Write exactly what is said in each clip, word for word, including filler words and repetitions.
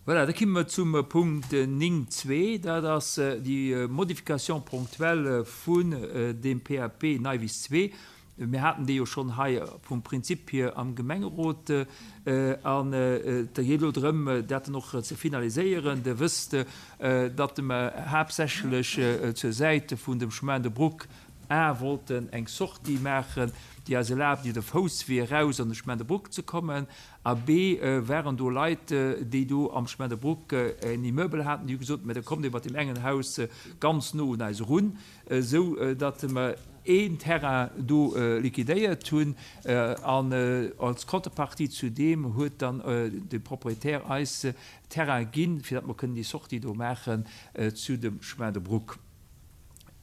Voilà, da komme mer zum Punkt néng zwee, dat ass déi Modification ponctuelle vun dem P A P Neiwiss zwee. Mir haten déi jo schonn hei vum Prinzip hier am Gemengerot an et geet elo drëm, dat dann och ze finaliséieren. Der wësst, datt mer haaptsächlech zur Säit vun dem Chemin de Brouck A wollten eng Sortie maachen, déi eis erlaabt, iwwer de Fousswee eraus an de Chemin de Brouck ze kommen. A B waren do Leit, déi do am Chemin de Brouck en Immeuble haten, déi hu gesot, mä da kommt Dir mat deem engen Haus ganz no un eis erun, esou datt mer een Terrain do liquidéiert hunn. An als Contrepartie zu deem huet dann de Propriétaire eis Terrain ginn, fir datt mer kënnen déi Sortie do maachen zu dem Chemin de Brouck.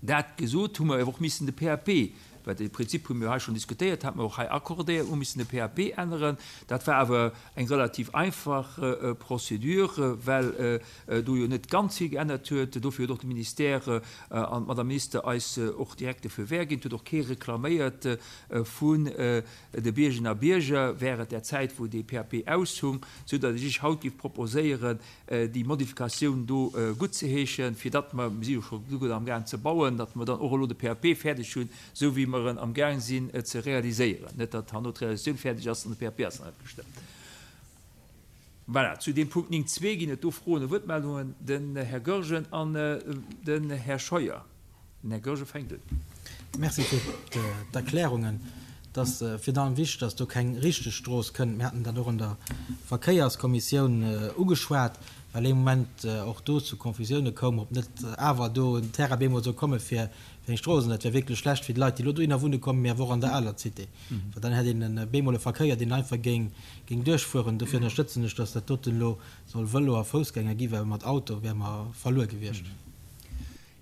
Dat gesot, hu mer awer och missen de P A P, well de Prinzip hu mir hei schonn diskutéiert, hat mer och hei accordéiert, hu missen de P A P änneren. Dat war awer eng relativ einfach Procédure, well do jo net ganz vill geännert huet. Dofir huet och de Ministère an d'Madame Minister eis och direkt de Feu vert ginn. Et huet och kee reklaméiert vun de Biergerinnen a Bierger während där Zäit, wou dee P A P aushung, soudatt ech Iech haut géif proposéieren, déi Modifikatioun do guttzeheeschen, fir datt mer, mir si jo scho gutt amgaang ze bauen, datt mer dann och elo de P A P fäerdeg hunn, esou wéi mer en amgaang sinn ze realiséieren. Net datt herno d'Realisatioun fäerdeg ass an de P A P ass nach net gestëmmt. Voilà, zu deem Punkt néng zwee ginn et do Froen a Wuertmeldungen. Den Här Goergen an den Här Scheuer. Den Här Goergen fänkt un. Merci fir d'Erklärungen. Et ass virun allem wichteg, dass do keng richteg Strooss kënnt. Mir haten dat och an der Verkéierskommissioun ugeschwat, well ee Moment och do zu Confusioune koum, ob net awer do en Terrain bemol soll komme fir eng Strooss. An dat wär wierklech schlecht fir d'Leit, déi elo dohinner wunne kommen, mee awer och an der aler Cité, well dann hätt een e bemol e Verkéier, deen einfach géing géing duerchfueren. Dofir ënnerstëtzen ech, dass dat doten elo soll Vëlo a Foussgänger gi, well mat Auto wäre mer verluer gewiescht.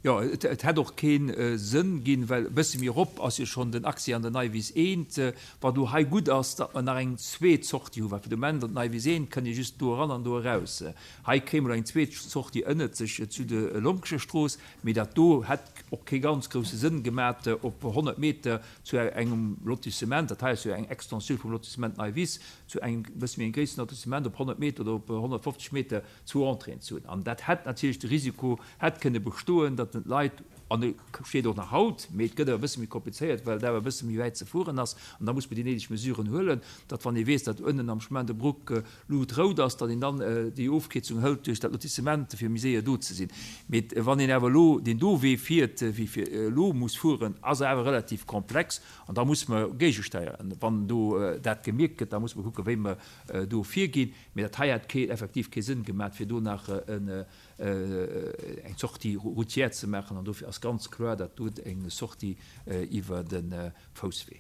Jo, et hätt och kee Sënn ginn, well e bësse méi erop ass jo schonn den Accès an der Neiwiss eent. Wat elo hei gutt ass, datt mer nach eng zweet Sortie hunn, well fir de Moment an d'Neiwiss eent kënnt ee just do eran an do eraus. Hei kréie mer elo eng zweet Sortie ënnert sech zu de Lonkescher Strooss, mee dat do hätt och kee ganz grousse Sënn gemat op honnert Meter zu engem Lotissement, dat hei ass jo eng Extensioun vum Lotissement Neiwiss, zu engem bësse méi engem gréisseren Lotissement op honnert Meter oder op honnertfofzeg Meter zwou Entréeën ze hunn. An dat hätt natierlech de Risiko hätt kënne bestoen, datt den d'Leit, an e steet och nach haut, mee et gëtt awer e bësse méi komplizéiert, well et awer e bësse méi wäit ze fueren ass, an da muss mer déi néideg Mesuren huelen, datt wann ee weess, datt ënnen am Chemin de Brouck Luut rout ass, datt een dann déi Ofkierzung hëlt duerch dat Lotissement, fir méi séier do ze sinn. Mee wann een awer elo deen do Wee fiert, wéi fir elo muss fueren, ass e awer relativ komplex, an da muss mer géigesteieren. Wann do dat gemierkt gëtt, da muss mer kucken, wéi mer do virginn. Mee dat hei hätt kee, effektiv kee Sënn gemat, fir do nach en eng Sortie routière ze maachen, an dofir ass ganz kloer dat do eng Sortie iwwer de Fousswee.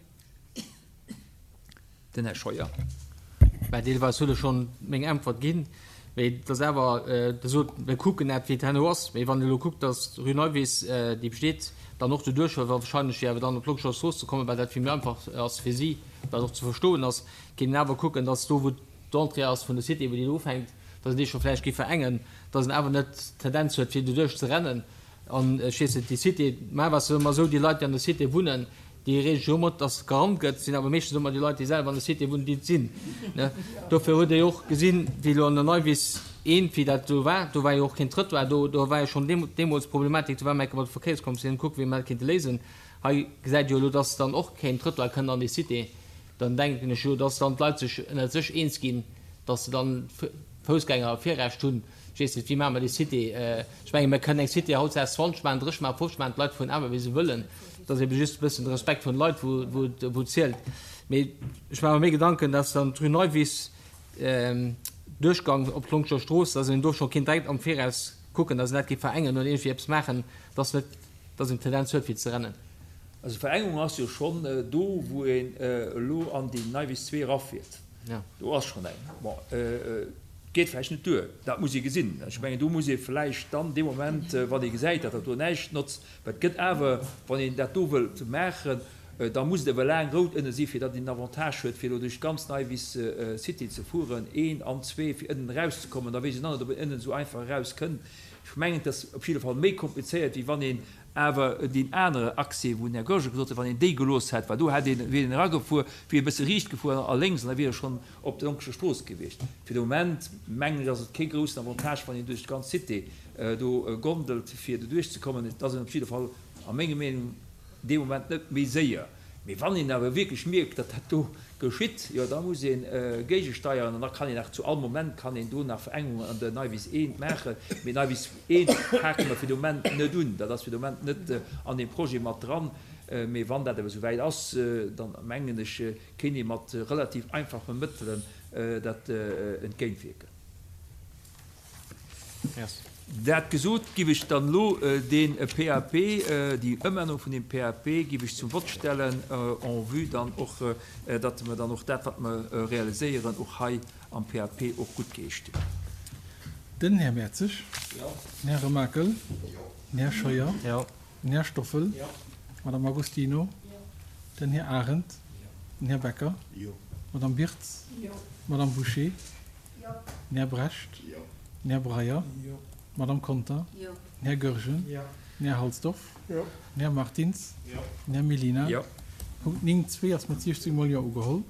Den Här Scheuer. Mä deelweis hutt Der schonn meng Äntwert ginn. Mee et ass awer, Der sot, mir kucken net, wéi et herno ass. Mee wann Der elo kuckt, datt d'Rue Neuwiss, déi besteet, dann och doduerch wahrscheinlech fir awer dann op d'Lonkescher Strooss ze kommen, well dat vill méi einfach ass fir si, wat och ze verstoen ass, kéint een awer kucken, datt do, wou d'Entrée ass vun der Cité, wou déi do ufänkt, datt een déi scho vläicht géif verengen, datt en awer net d'Tendenz huet, fir doduerch ze rennen. An ech weess net, déi Cité, mä ass ëmmer esou, déi Leit, déi an der Cité wunnen, déi reege sech jo ëmmer, datt gerannt gëtt, sinn awer meeschtens ëmmer déi Leit, déi selwer an der Cité wunnen, déi et sinn. Dofir hutt Dir jo och gesinn, wéi elo an der Neuwiss eent, wéi dat do war, do war jo och keen Trëttoir do, do war jo schonn deemools d'Problematik, do war mer enke mat der Verkéierskommissioun kucken, wéi mer dat kéinte léisen. Hei gesäit jo elo, datt dann och keen Trëttoir kënnt an déi Cité. Dann denken ech jo, datt dann d'Leit sech ënnert sech eens ginn, datt se dann Foussgänger Virrecht hunn. Ech weess net, wéi maache mer déi Cité? Ech menge mir kënnen eng Cité hautdesdaags zwanzeg maachen, drësseg maachen, fofzeg maachen, d'Leit fueren awer wéi se wëllen. Et ass ebe just e bëssen de Respekt vun de Leit, wou wou zielt. Mee ech maache mer méi Gedanken, datt dann d'Rue Neuwiss, Duerchgang op d'Lonkescher Strooss, datt een do scho kéint direkt am Viraus kucken, datt een dat géif verengen oder iergendwéi eppes maachen, datt net, datt een d'Tendenz huet fir ze rennen. Also Verengung ass jo schonn do, wou een elo an déi Neuwiss zwee erafiert. Do ass schonn eng. Bon, geet vläicht net duer, dat muss ee gesinn. Ech mengen, do muss ee vläicht dann dee Moment, wann ee gesäit, datt dat do näischt notzt, well et gëtt awer, wann een dat do wëllt maachen, Da muss et awer laang rout ënne si fir datt een den Avantage huet fir elo duerch d'ganz Neuwiss City ze fueren, een an zwee fir ënnen erauszekommen. Da weess een dann net ob een ënnen esou einfach eraus kënnt. Ech mengen et ass op jidde Fall méi komplizéiert wéi wann een awer deen anere Accès wou den Här Goergen gesot huet, wann een déi gelooss hätt, well do hätt een, wier een eragefuer, wier e bësse riicht gefuer a lénks an da wier e schonn op der Lonkescher Strooss gewiescht. Fir de Moment mengen ech ass et kee groussen Avantage wann een duerch d'ganz Cité do gondelt fir doduerch ze kommen. Et ass een op jidde Fall a menger Meenung dee Moment net méi séier. Mee wann een awer wierklech mierkt, datt dat do geschitt, jo da muss ee géigesteieren an da kann een nach zu all Moment kann een do nach Verengungen an der Neuwiss eent maachen. Mee Neuwiss eent pake mer fir de Moment net un. Dat ass fir de Moment net an deem Projet mat dran. Mee wann dat awer esou wäit ass, da mengen ech, kéint ee mat relativ einfache Mëttelen dat entgéintwierken. Dat gesot, giff ech dann elo dee P A P, déi Ëmännerung vun deem P A P giff ech zum Vott stellen, en vue dann och, datt mer dann och dat, wat mer realiséieren, och hei am P A P och guttgeheescht hunn. Den Här Mertzig. Den Här Remakel. Den Här Scheuer. Den Här Stoffel. D'Madame Agostino. Den Här Arendt. Den Här Becker. D'Madame Birtz. D'Madame Bouché. Den Här Brecht. Den Här Breyer. D'Madame Conter. Den Här Goergen. Den Här Halsdorf. Den Här Martins. Den Här Mellina. Punkt néng zwee ass mat siechzéng mol Jo ugeholl.